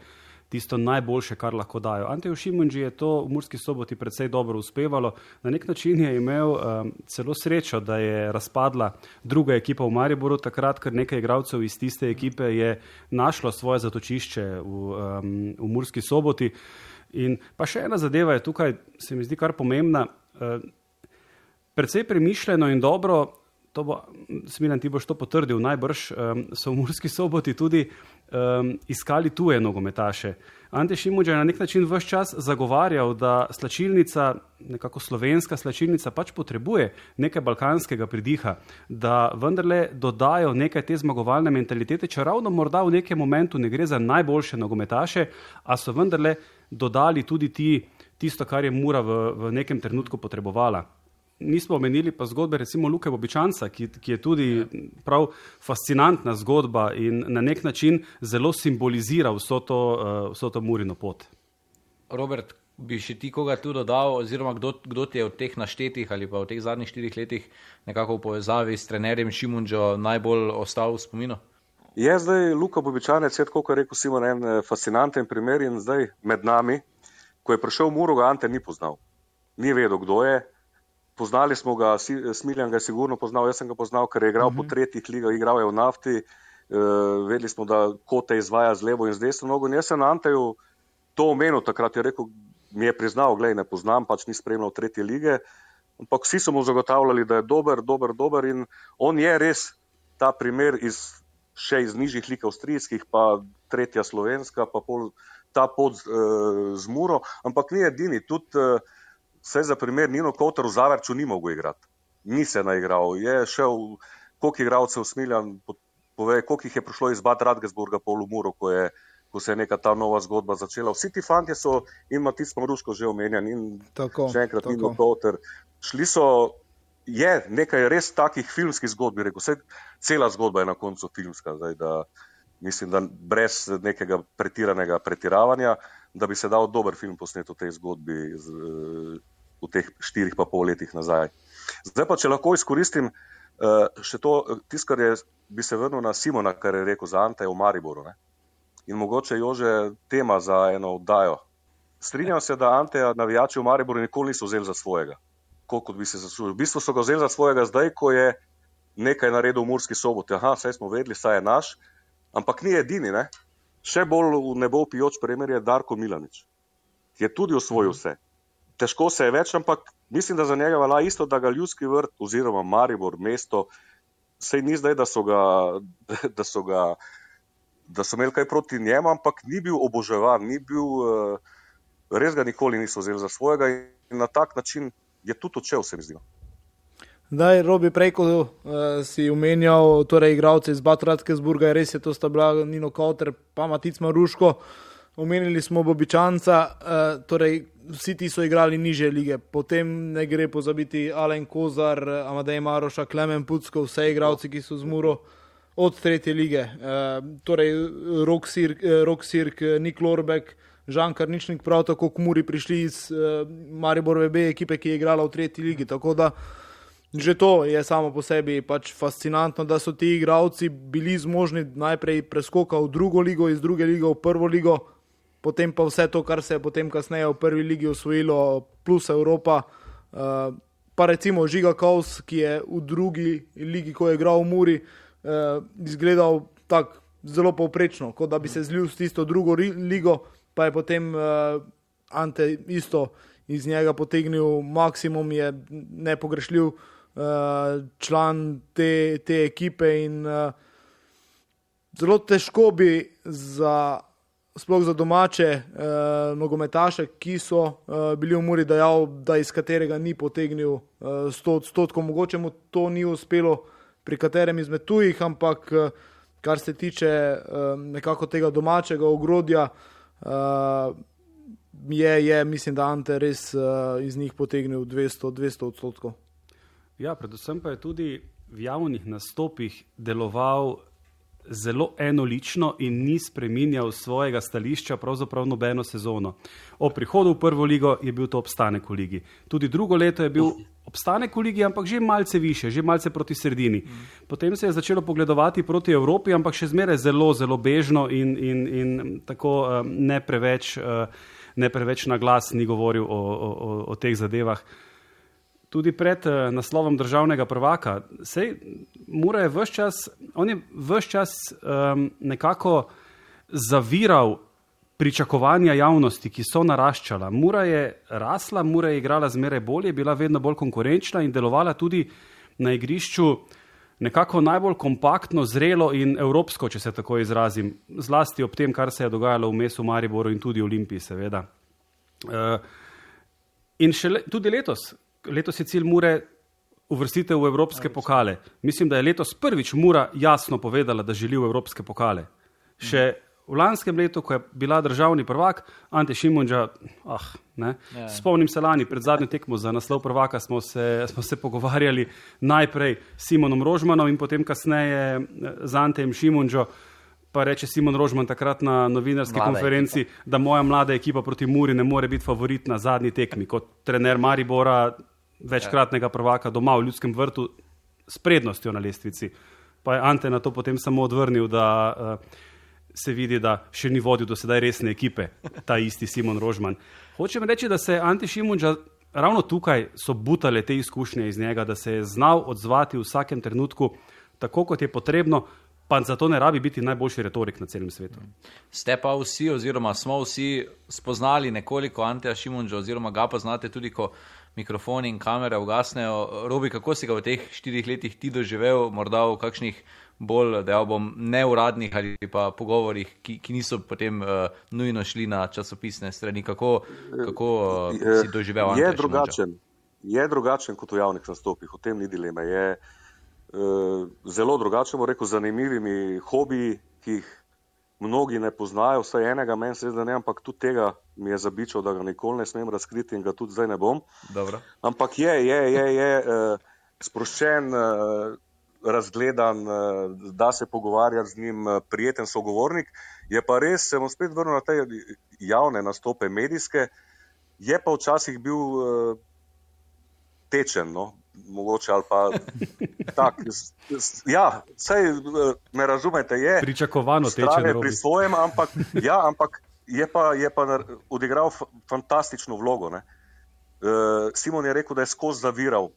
tisto najboljše, kar lahko dajo. Anteju Šimundži je to v Murski Soboti precej dobro uspevalo. Na nek način je imel um, celo srečo, da je razpadla druga ekipa v Mariboru, takrat, ker nekaj igralcev iz tiste ekipe je našlo svoje zatočišče v, um, v Murski Soboti. In pa še ena zadeva je tukaj, se mi zdi kar pomembna. Uh, precej premišljeno in dobro, to bo, Smiljan, ti boš to potrdil, najbrž um, so v Murski Soboti tudi um, iskali tuje nogometaše. Ante Šimundža je na nek način ves čas zagovarjal, da slačilnica, nekako slovenska slačilnica, pač potrebuje nekaj balkanskega pridiha, da vendarle dodajo nekaj te zmagovalne mentalitete, če ravno morda v nekem momentu ne gre za najboljše nogometaše, a so vendarle dodali tudi ti, tisto, kar je Mura v, v nekem trenutku potrebovala. Nismo omenili pa zgodbe recimo Luke Bobičanca, ki, ki je tudi prav fascinantna zgodba in na nek način zelo simbolizira vso to, uh, vso to Murino pot. Robert, bi še ti koga tu dodal, oziroma kdo, kdo ti je od teh naštetih ali pa v teh zadnjih štirih letih nekako v povezavi s trenerjem Šimundžo najbolj ostal v spominu? Je zdaj Luka Bobičanec, je tako, kot je rekel Simon, en fascinanten primer in zdaj med nami, ko je prišel v Muro, ga Ante ni poznal. Ni vedel, kdo je. Poznali smo ga, Smiljan ga je sigurno poznal, jaz sem ga poznal, ker je igral uh-huh. po tretjih ligah, igral je v Nafti, uh, vedeli smo, da Kote izvaja z levo in z desno nogo. In jaz sem na Anteju to omenil, takrat je rekel, mi je priznal, glej, ne poznam, pač ni spremljal tretje lige, ampak vsi so mu zagotavljali, da je dober, dober, dober in on je res ta primer iz, še iz nižjih lig avstrijskih, pa tretja slovenska, pa pol, ta pot uh, z Muro, ampak ni edini, tudi uh, vse za primer, Nino Kauter v Zavrču ni mogel igrati. Ni se naigral. Je šel, koliko igralcev Smiljan, pove, koliko jih je prišlo iz Bad Radgesburga pol v Muro, ko, je, ko se je neka ta nova zgodba začela. Vsi ti fantje so, in Matic Maruško že omenjan, in tako, še enkrat tako. Nino Kauter. Šli so, je nekaj res takih filmskih zgodb, bi rekel. Vse, cela zgodba je na koncu filmska. Zdaj, da mislim, da brez nekega pretiranega pretiravanja, da bi se dal dober film posnet v tej zgodbi z, v teh štirih pa pol letih nazaj. Zdaj pa, če lahko izkoristim še to, tisto, kar je, bi se vrnil na Simona, kar je rekel za Ante v Mariboru. Ne? In mogoče Jože tema za eno oddajo. Strinjam se, da Anteja navijači v Mariboru nikoli niso vzeli za svojega, koliko bi se zaslužil. V bistvu so ga vzeli za svojega zdaj, ko je nekaj naredil v Murski Soboti. Aha, saj smo vedeli, saj je naš, ampak ni edini, ne? Še bolj v nebo pijoč primer je Darko Milanič, ki je tudi osvojil vse. Težko se je več, ampak mislim, da za njega velja isto, da ga Ljudski vrt oziroma Maribor, mesto, sej ni zdaj, da so ga, da so ga, da so imeli kaj proti njemu, ampak ni bil oboževan, ni bil, res ga nikoli niso vzeli za svojega in na tak način je tudi odšel, se mi zdi. Daj, Robi, prej, ko uh, si umenjal, torej igralce iz Bad Radkersburga, res je, to sta bila Nino Kauter, pa Matic Maruško, omenili smo Bobičanca, uh, torej vsi ti so igrali niže lige, potem ne gre pozabiti Alen Kozar, Amadej Maroša, Klemen Pucko, vse igralci, ki so z Muro od tretje lige, uh, torej Rok Sirk, Rok Sirk, Nik Lorbek, Žan Karničnik, prav tako k Muri prišli iz uh, Mariborove B ekipe, ki je igrala v tretji ligi, tako da že to je samo po sebi pač fascinantno, da so ti igralci bili zmožni najprej preskoka v drugo ligo, iz druge lige v prvo ligo, potem pa vse to, kar se je potem kasneje v prvi ligi osvojilo, plus Evropa, uh, pa recimo Žiga Kaus, ki je v drugi ligi, ko je igral v Muri, uh, izgledal tak zelo povprečno, kot da bi se zlil s tisto drugo ligo, pa je potem uh, Ante isto iz njega potegnil maksimum, je nepogrešljiv uh, član te, te ekipe in uh, zelo težko bi za, sploh za domače uh, nogometaše, ki so uh, bili v Muri, dejal, da iz katerega ni potegnil uh, sto odstotkov, mogoče mu to ni uspelo pri katerem izmed tujih, ampak uh, kar se tiče uh, nekako tega domačega ogrodja, uh, Je, je, mislim, da Ante res uh, iz njih potegnil dvesto odstotkov. Ja, predvsem pa je tudi v javnih nastopih deloval zelo enolično in ni spreminjal svojega stališča pravzaprav nobeno sezono. O prihodu v prvo ligo je bil to obstanek v ligi. Tudi drugo leto je bil obstanek v ligi, ampak že malce više, že malce proti sredini. Potem se je začelo pogledovati proti Evropi, ampak še zmeraj zelo, zelo bežno in, in, in tako uh, ne preveč... Uh, ne preveč na glas ni govoril o, o, o teh zadevah. Tudi pred uh, naslovom državnega prvaka. Sej, Mura je ves čas, on je ves čas um, nekako zaviral pričakovanja javnosti, ki so naraščala. Mura je rasla, Mura je igrala zmeraj bolje, bila vedno bolj konkurenčna in delovala tudi na igrišču nekako najbolj kompaktno, zrelo in evropsko, če se tako izrazim, zlasti ob tem, kar se je dogajalo vmes v Mariboru in tudi Olimpiji, seveda. Uh, in še le, tudi letos, letos je cilj Mure uvrstitev v evropske pokale. Mislim, da je letos prvič Mura jasno povedala, da želi v evropske pokale. Še v lanskem letu, ko je bila državni prvak, Ante Šimundža, ah, ne, ja. Spomnim se lani, pred zadnjo tekmo za naslov prvaka smo se, smo se pogovarjali najprej s Simonom Rožmanom in potem kasneje z Antejem Šimundžo, pa reče Simon Rožman takrat na novinarski mlada konferenci, ekipa. Da moja mlada ekipa proti Muri ne more biti favorit na zadnji tekmi, kot trener Maribora, večkratnega prvaka doma v Ljudskem vrtu s prednostjo na lestvici. Pa je Ante na to potem samo odvrnil, da uh, se vidi, da še ni vodil do sedaj resne ekipe, ta isti Simon Rožman. Hočem reči, da se Ante Šimundža ravno tukaj so butale te izkušnje iz njega, da se je znal odzvati v vsakem trenutku tako, kot je potrebno, pa zato ne rabi biti najboljši retorik na celem svetu. Ste pa vsi, oziroma smo vsi spoznali nekoliko Anteja Šimundža, oziroma ga pa znate tudi, ko mikrofoni in kamere ugasnejo. Robi, kako si ga v teh štirih letih ti doživel, morda v kakšnih bolj, dejal bom, neuradnih ali pa pogovorih, ki, ki niso potem uh, nujno šli na časopisne strani. Kako, kako uh, si doživel Anteja je drugačen, je drugačen kot v javnih nastopih, o tem ni dileme. Je uh, zelo drugačen, bo rekel, zanimivimi hobiji, ki jih mnogi ne poznajo, vsaj enega, meni se zdi, ne, ampak tudi tega mi je zabičal, da ga nikoli ne smem razkriti in ga tudi zdaj ne bom. Dobro. Ampak je, je, je, je uh, sproščen, uh, razgledan, da se pogovarjati z njim, prijeten sogovornik. Je pa res, se bom spet vrnil na te javne nastope medijske, je pa včasih bil tečen, no, mogoče ali pa tak. Ja, saj me razumete, je pričakovano tečen pri svojem, ampak, ja, ampak je pa, je pa odigral fantastično vlogo. Ne. Simon je rekel, da je skozi zaviral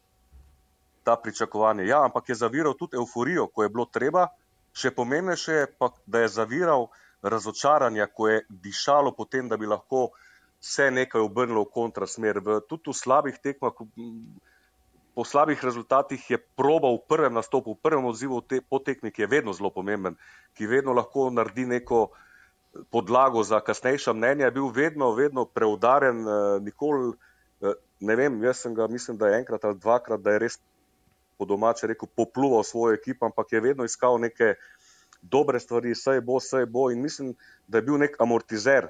ta pričakovanje. Ja, ampak je zaviral tudi euforijo, ko je bilo treba, še pomembnejše je pa, da je zaviral razočaranja, ko je dišalo potem, da bi lahko se nekaj obrnilo v kontrasmer. V, tudi v slabih tekmah, po slabih rezultatih je probal v prvem nastopu, v prvem odzivu te, po tekmi, ki je vedno zelo pomemben, ki vedno lahko naredi neko podlago za kasnejša mnenja, je bil vedno, vedno preudaren, nikoli, ne vem, jaz sem ga, mislim, da je enkrat ali dvakrat, da je res po domače rekel, popluval svojo ekipo, ampak je vedno iskal neke dobre stvari, saj bo, saj bo in mislim, da je bil nek amortizer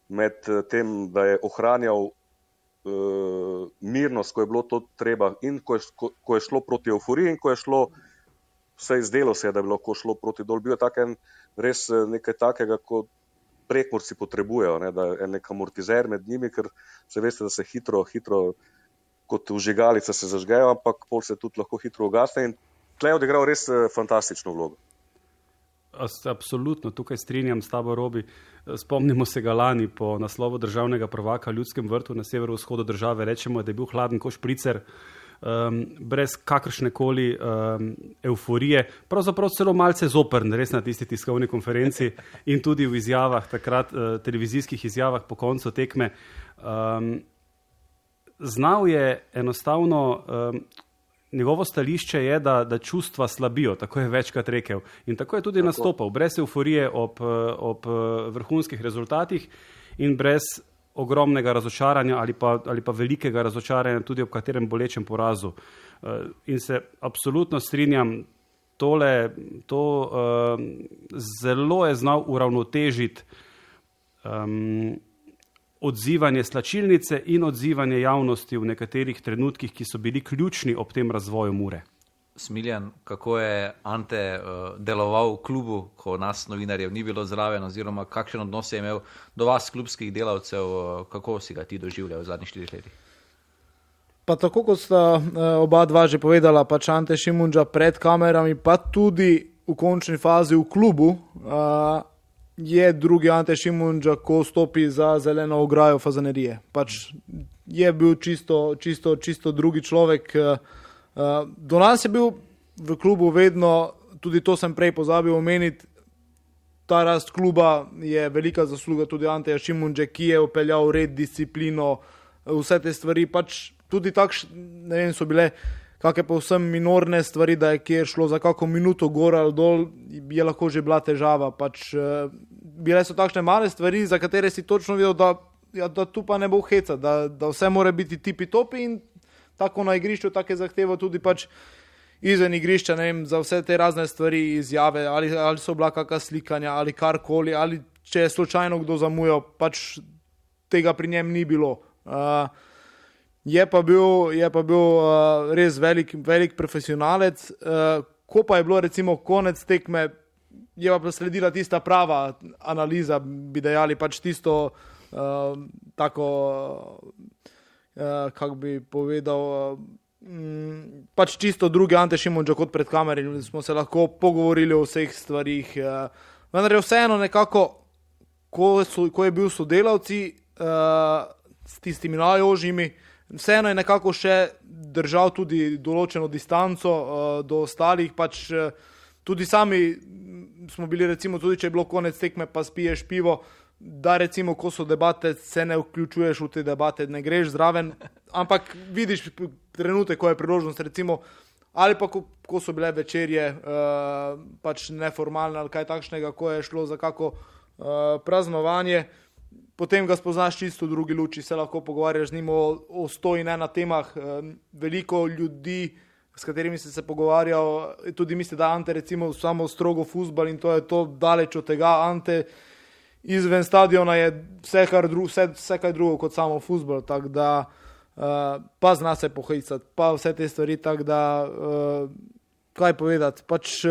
med tem, da je ohranjal uh, mirnost, ko je bilo to treba in ko je, ko, ko je šlo proti euforiji in ko je šlo, vse izdelo se je, da je bilo ko šlo proti dol. Bil je taken, res nekaj takega, kot Prekmurci potrebujejo, ne, da je nek amortizer med njimi, ker se veste, da se hitro, hitro kot vžigalica se zažgejo, ampak pol se tudi lahko hitro ugasne in tle je odigral res fantastično vlogo. Absolutno, tukaj strinjam s tabo, Robi. Spomnimo se ga lani po naslovu državnega prvaka v Ljudskem vrtu na severovzhodu države. Rečemo, da je bil hladen ko špricer, um, brez kakršnekoli um, euforije, pravzaprav celo malce zoprn, res na tisti tiskovni konferenci in tudi v izjavah, takrat uh, televizijskih izjavah po koncu tekme. Um, znal je enostavno, um, njegovo stališče je, da, da čustva slabijo, tako je večkrat rekel. In tako je tudi tako nastopal, brez euforije ob, ob vrhunskih rezultatih in brez ogromnega razočaranja ali pa, ali pa velikega razočaranja tudi ob katerem bolečem porazu. In se absolutno strinjam, tole, to uh, zelo je znal uravnotežiti um, odzivanje slačilnice in odzivanje javnosti v nekaterih trenutkih, ki so bili ključni ob tem razvoju Mure. Smiljan, kako je Ante uh, deloval v klubu, ko nas novinarjev ni bilo zraven, oziroma kakšen odnos je imel do vas, klubskih delavcev, uh, kako si ga ti doživljal v zadnjih štirih letih? Pa tako, kot sta uh, oba dva že povedala, pač Ante Šimundža pred kamerami, pa tudi v končni fazi v klubu, uh, je drugi Ante Šimundža, ko stopi za zeleno ograjo Fazanerije. Pač je bil čisto, čisto, čisto drugi človek. Do nas je bil v klubu vedno, tudi to sem prej pozabil omeniti, ta rast kluba je velika zasluga tudi Anteja Šimundže, ki je upeljal red, disciplino, vse te stvari. Pač tudi takšne, ne vem, so bile kakšne povsem minorne stvari, da je kjer šlo za kako minuto gor ali dol, je lahko že bila težava. Pač, uh, bile so takšne male stvari, za katere si točno videl, da, ja, da tu pa ne bo heca, da, da vse mora biti tipi topi in tako na igrišču, tako je zahteval tudi pač izven igrišča, ne vem, za vse te razne stvari, izjave, ali, ali so bila kakšna slikanja, ali karkoli, ali če je slučajno kdo zamujal, pač tega pri njem ni bilo. Uh, Je pa bil, je pa bil uh, res velik, velik profesionalec. Uh, ko pa je bilo recimo konec tekme, je pa sledila tista prava analiza, bi dejali, pač tisto uh, tako, uh, kako bi povedal, uh, pač čisto drugi Ante Šimundža kot pred kameri. Smo se lahko pogovorili o vseh stvarih. Uh, vendar je vseeno nekako, ko, so, ko je bil sodelavci uh, s tistimi najožjimi, vseeno je nekako še držal tudi določeno distanco uh, do ostalih, pač uh, tudi sami smo bili recimo, tudi če je bilo konec tekme, pa spiješ pivo, da recimo, ko so debate, se ne vključuješ v te debate, ne greš zraven, ampak vidiš trenutek, ko je priložnost recimo, ali pa ko, ko so bile večerje uh, pač neformalne ali kaj takšnega, ko je šlo za kako uh, praznovanje, potem ga spoznaš čisto v drugi luči, se lahko pogovarjaš z njim o, o sto in ena temah. Veliko ljudi, s katerimi si se pogovarjal, tudi misli, da Ante recimo samo strogo fuzbal in to je to daleč od tega. Ante izven stadiona je vse, kar dru, vse, vse kaj drugo kot samo fuzbal, tako da uh, pa zna se pohecati, pa vse te stvari, tako da uh, kaj povedati, pač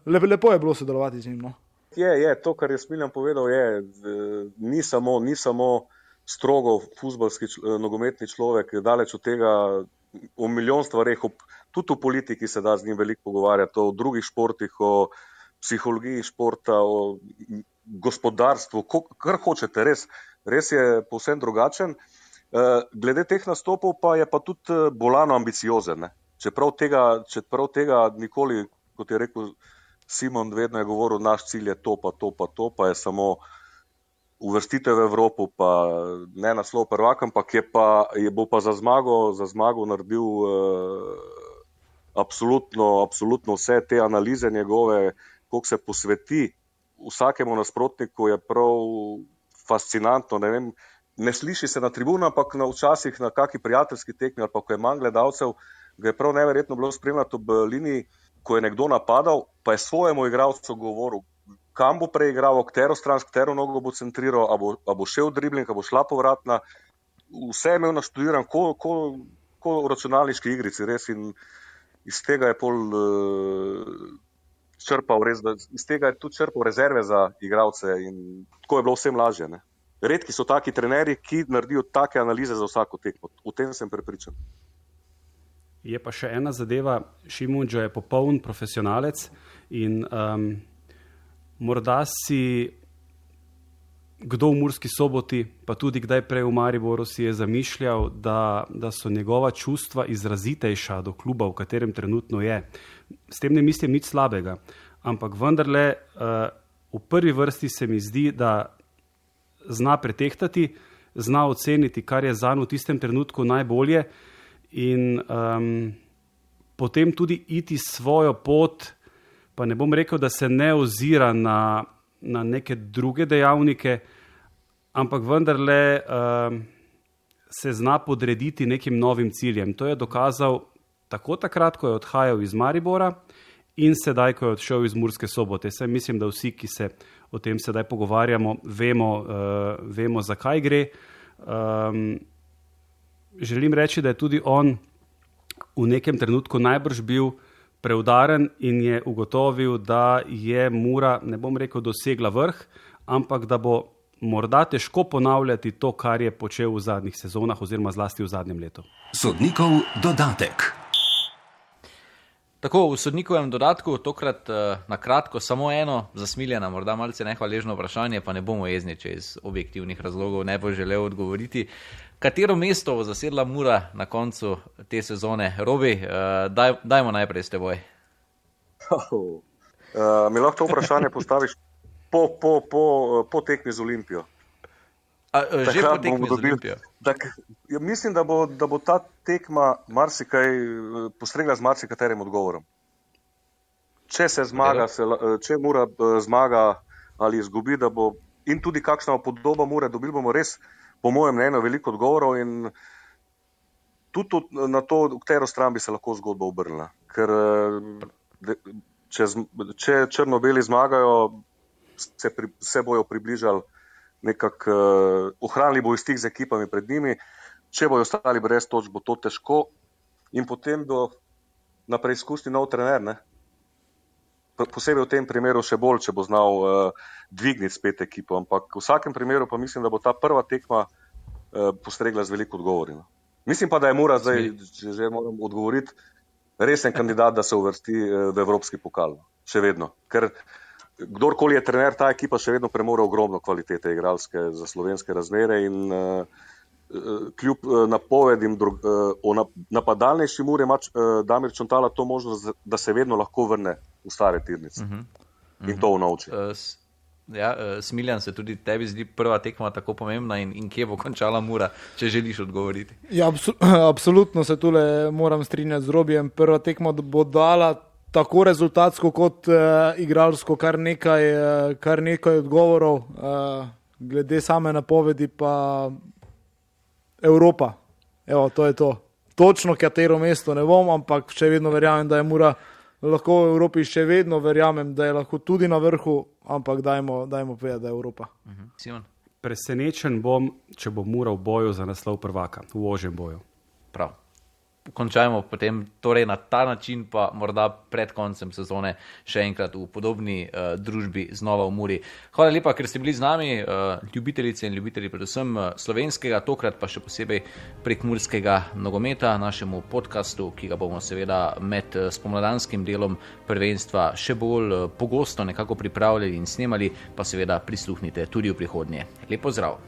lepo, lepo je bilo sodelovati z njim. No? Je, je, to, kar je Smiljan povedal, je, ni samo, ni samo strogo fuzbalski, nogometni človek, daleč od tega, o milijon stvareh, tudi v politiki se da z njim veliko pogovarjati, o drugih športih, o psihologiji športa, o gospodarstvu, kar hočete, res, res je povsem drugačen. Glede teh nastopov pa je pa tudi bolano ambiciozen. Ne? Čeprav tega, čeprav tega nikoli, kot je rekel Simon, vedno je govoril, naš cilj je to, pa to, pa to, pa je samo uvrstitev v Evropo, pa ne naslov prvaka, ampak je pa, je bo pa za zmago, za zmago naredil eh, absolutno, absolutno vse te analize njegove, koliko se posveti vsakemu nasprotniku, je prav fascinantno, ne vem, ne sliši se na tribunu, ampak na včasih na kaki prijateljski tekmi ali pa ko je manj gledalcev, ga je prav neverjetno bilo spremljati ob liniji, ko je nekdo napadal, pa je svojemu igralcu govoril, kam bo preigral, katero stran, katero nogo bo centriral, a bo, a bo šel dribling, a bo šla povratna. Vse je imel naštudiran, ko, ko, ko v računalniški igrici, res, in iz tega je pol uh, črpal res, da iz tega je tudi črpal rezerve za igralce in tako je bilo vsem lažje, ne. Redki so taki trenerji, ki naredijo take analize za vsako tekmo. V tem sem prepričan. Je pa še ena zadeva, Šimundža je popoln profesionalec in um, morda si kdo v Murski Soboti, pa tudi kdaj prej v Mariboru si je zamišljal, da, da so njegova čustva izrazitejša do kluba, v katerem trenutno je. S tem ne mislim nič slabega, ampak vendarle uh, v prvi vrsti se mi zdi, da zna pretehtati, zna oceniti, kar je zanj v tistem trenutku najbolje in um, potem tudi iti svojo pot, pa ne bom rekel, da se ne ozira na, na neke druge dejavnike, ampak vendarle um, se zna podrediti nekim novim ciljem. To je dokazal tako takrat, ko je odhajal iz Maribora in sedaj, ko je odšel iz Murske Sobote. Saj mislim, da vsi, ki se o tem sedaj pogovarjamo, vemo, uh, vemo zakaj gre. Um, želim reči, da je tudi on v nekem trenutku najbrž bil preudaren in je ugotovil, da je Mura, ne bom rekel, dosegla vrh, ampak da bo morda težko ponavljati to, kar je počel v zadnjih sezonah oziroma zlasti v zadnjem letu. Sodnikov dodatek. Tako, v sodnikovem dodatku, tokrat uh, na kratko, samo eno za Smiljana, morda malce nehvaležno vprašanje, pa ne bomo jezni, če iz objektivnih razlogov ne bo želel odgovoriti. Katero mesto bo zasedla Mura na koncu te sezone? Robi, uh, daj, dajmo najprej s teboj. Oh, uh, mi lahko to vprašanje postaviš po, po, po, po tekmi z Olimpijo. A, že po tekmi z Olimpijo? Tak, ja, mislim, da bo, da bo ta tekma marsikaj postregla z marsikaterim odgovorom. Če se zmaga, se, če Mura zmaga ali izgubi, da bo in tudi kakšna podoba Mure, dobili bomo res, po mojem mnenju, veliko odgovorov in tudi na to, v katero stran bi se lahko zgodba obrnila. Ker če, če črno-beli zmagajo, se, pri, se bojo približali nekako, uh, ohranili bojo stik z ekipami pred njimi, če bojo ostali brez točk, bo to težko in potem bo na preizkušnji nov trener, ne? Posebej v tem primeru še bolj, če bo znal uh, dvigniti spet ekipo, ampak v vsakem primeru pa mislim, da bo ta prva tekma uh, postregla z veliko odgovori. No? Mislim pa, da je Mura zdaj, če že moram odgovoriti, resen kandidat, da se uvrsti uh, v evropski pokal. Še vedno. Ker kdorkoli je trener, ta ekipa še vedno premore ogromno kvalitete igralske za slovenske razmere in uh, kljub uh, napovedim drug, uh, o nap, napadalnejši Muri ima uh, Damir Čontala to možnost, da se vedno lahko vrne v stare tirnice. Uh-huh. Uh-huh. In to unovči. Uh, ja, uh, Smiljan, se tudi tebi zdi prva tekma tako pomembna in, in kje bo končala Mura, če želiš odgovoriti? Ja, abso- absolutno se tule moram strinjati z Robijem. Prva tekma bo dala tako rezultatsko kot uh, igralsko kar nekaj, uh, kar nekaj odgovorov. Uh, glede same napovedi pa Evropa. Evo, to je to. Točno katero mesto ne bom, ampak še vedno verjamem, da je Mura lahko v Evropi, še vedno verjamem, da je lahko tudi na vrhu, ampak dajmo, dajmo povedati, da je Evropa. Uh-huh. Simon? Presenečen bom, če bo Mura v boju za naslov prvaka, v ožjem boju. Prav. končajmo potem torej na ta način, pa morda pred koncem sezone še enkrat v podobni uh, družbi znova v Muri. Hvala lepa, ker ste bili z nami, uh, ljubitelice in ljubitelji predvsem uh, slovenskega, tokrat pa še posebej prek murskega nogometa, našemu podcastu, ki ga bomo seveda med uh, spomladanskim delom prvenstva še bolj uh, pogosto nekako pripravljali in snemali, pa seveda prisluhnite tudi v prihodnje. Lep pozdrav!